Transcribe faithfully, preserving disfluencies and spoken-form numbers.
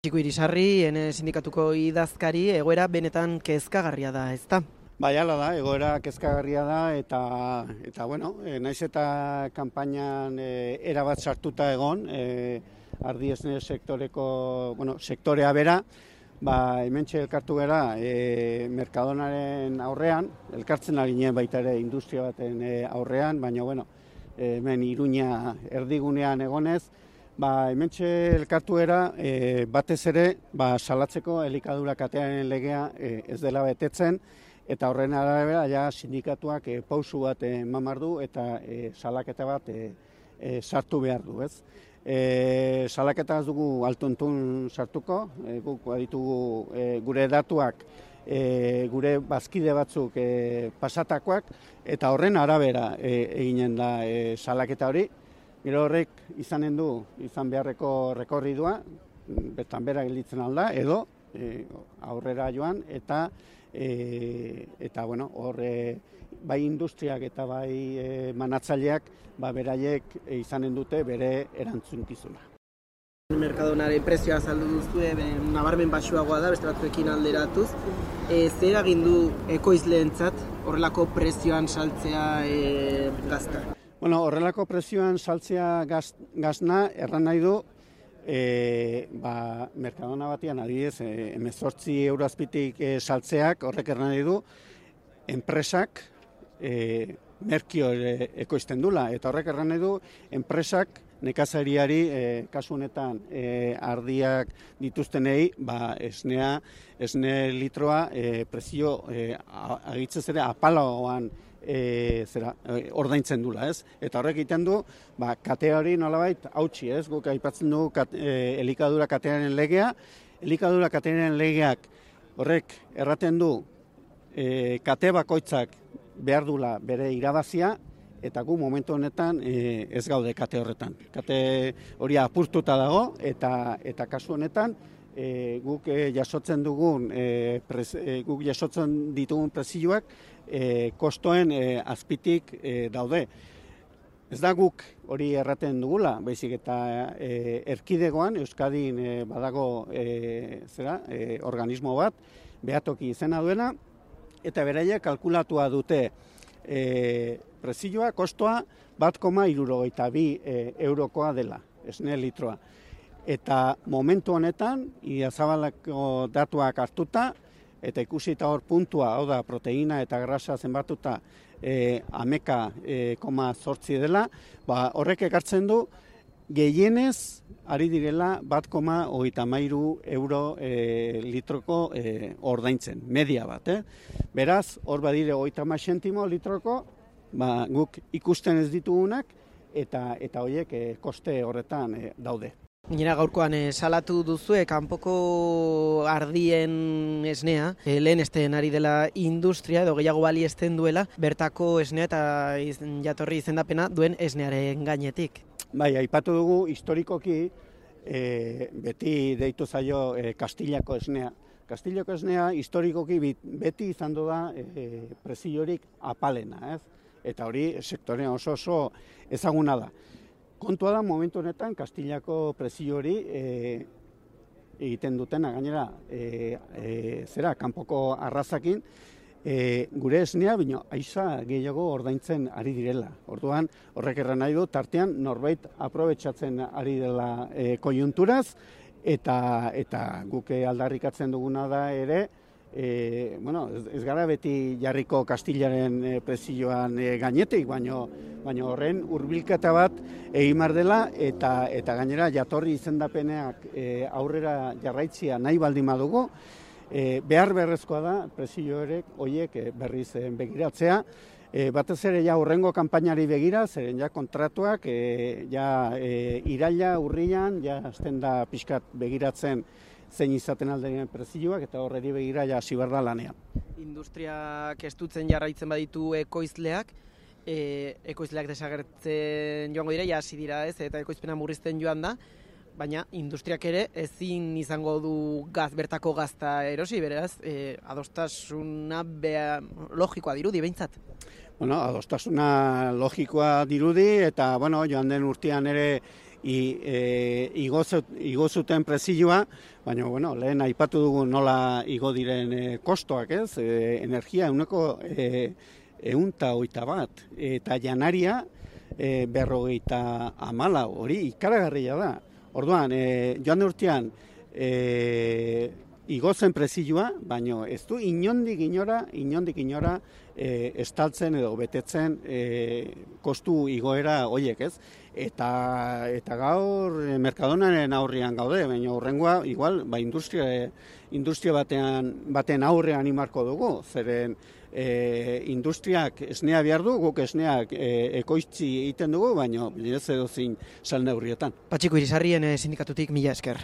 Txiko Irisarri, ene sindikatuko idazkari, egoera benetan kezkagarria da, ezta? Bai, hala da, egoera kezkagarria da eta eta bueno, e, naiz eta kanpainan e, erabat sartuta egon, e, ardi esne sektoreko, bueno, sektorea bera, ba hementxe elkartu gara e, Mercadonaren aurrean, elkartzen ari ginen baita ere industria baten e, aurrean, baina bueno, e, hemen Iruña erdigunean egonez, ba hementxe elkartu era e, batez ere ba salatzeko elikadura katearen legea e, ez dela betetzen eta horren arabera ja sindikatuak e, pausu bat eman behar du eta e, salaketa bat e, e, sartu behar du, ez? E, salaketa ez dugu altuntun sartuko, e, guk baditugu e, gure datuak e, gure bazkide batzuk e, pasatakoak eta horren arabera e, eginen da e, salaketa hori. Gero horrek izanen du, izan beharreko rekorridua, bertan bera gelditzen alda, edo e, aurrera joan, eta e, eta bueno, hor e, bai industriak eta bai e, manatzaileak ba, beraiek e, izanen dute bere erantzunkizuna. Mercadonaren prezioa azaldu duzu, e, nabarmen baxuagoa da, beste batzuekin alderatuz. E, zer egin du ekoizleentzat horrelako prezioan saltzea e, gazta? Bueno, horrelako prezioan saltzea gaz, gazna erran nahi du, e, ba, Mercadona batian adibidez, e, hemezortzi euro azpitik e, saltzeak horrek erran nahi du, enpresak e, merkio e, ekoizten dula, eta horrek erran nahi du, enpresak nekazariari e, kasu honetan e, ardiak dituztenei, ba, esnea, esne litroa e, prezio e, agitzez ere apalagoan E, zera, e, ordaintzen dula, ez? Eta horrek egiten du, ba, kate hori nolabait hautsi, ez? Guk aipatzen dugu kat, e, elikadura katearen legea, elikadura katearen legeak horrek erraten du e, kate bakoitzak behar dula bere irabazia, eta gu momentu honetan e, ez gaude kate horretan. Kate hori apurtuta dago, eta, eta kasu honetan e, guk e, jasotzen dugun, e, prez, e, guk jasotzen ditugun prezioak, E, kostoen e, azpitik e, daude. Ez da guk hori erraten dugula, baizik eta e, erkidegoan Euskadin e, badago e, zera, e, organismo bat, behatoki izena duena, eta beraiek kalkulatua dute e, prezioa, kostoa, bat koma hirurogeita bi e, eurokoa dela, esne litroa. Eta momentu honetan, Idiazabaleko datuak hartuta, eta ikusita hor puntua, hau da, proteina eta grasa zenbatuta e, ameka e, koma zortzi dela, ba, horrek ekartzen du gehienez ari direla bat koma hogeita hamairu euro e, litroko e, ordaintzen, media bat. Eh? Beraz, hor badire hogeita hamar zentimo litroko, ba, guk ikusten ez ditugunak, eta eta horiek e, koste horretan e, daude. Gainera gaurkoan e, salatu duzue kanpoko ardien esnea, e, lehen esten ari dela industria edo gehiago baliesten duela, bertako esnea eta iz, jatorri izendapena duen esnearen gainetik. Bai, aipatu dugu historikoki e, beti deitu zaio e, Kastilako esnea. Kastilako esnea historikoki beti izan da e, preziorik apalena, ez? Eta hori sektorean oso oso ezaguna da. Kontua da, momentu honetan, Kastilako prezio hori e, egiten dutena, gainera, e, e, zera, kanpoko arrazakin, e, gure esnea, bino, aiza gehiago ordaintzen ari direla. Orduan, horrek erran nahi du, tartean norbait aprobetxatzen ari dela e, kojunturaz, eta, eta guke aldarrikatzen duguna da ere, E, bueno, ez, ez gara beti jarriko Kastilaren e, prezioan e, gainetik, baino, baino horren hurbilketa bat egin behar dela eta, eta gainera jatorri izendapeneak e, aurrera jarraitzia nahi baldin badugu, e, behar beharrezkoa da prezio horrek horiek e, berriz e, begiratzea. E, batez ere ja hurrengo kanpainari begira, zeren ja kontratuak e, ja e, iraila, urrian, ja azten da pixkat begiratzen zein izaten aldearen prezioak eta horreri begira ja hasi behar da lanean. Industriak estutzen jarraitzen baditu ekoizleak, e, ekoizleak desagertzen joango dira, ja hasi dira ez, eta ekoizpena murrizten joan da, baina industriak ere ezin izango du gaz, bertako gazta erosi, beraz, e, adostasuna bea, logikoa dirudi behintzat. Bueno, adostasuna logikoa dirudi eta bueno, joan den urtean ere e, igo, igo zuten prezioa, baina bueno, lehen aipatu dugu nola igo diren e, kostoak, ez? E, energia euneko e, eunta oita bat, eta janaria e, berrogeita amala, hori ikaragarria da. Orduan, e, joan urtean, e, igozen prezioa, baina ez du inondik inora, inondik inora e, estaltzen edo betetzen e, kostu igoera horiek, ez? Eta, eta gaur e, Mercadonaren aurrean gaude, baina horrengoa, igual, ba, industria, industria batean, baten aurrean imarko dugu, zeren e, industriak esnea behar du, guk esneak e, ekoitzi egiten dugu, baina ez edo zin salneurrietan. Patxiko Irisarrien sindikatutik mila esker.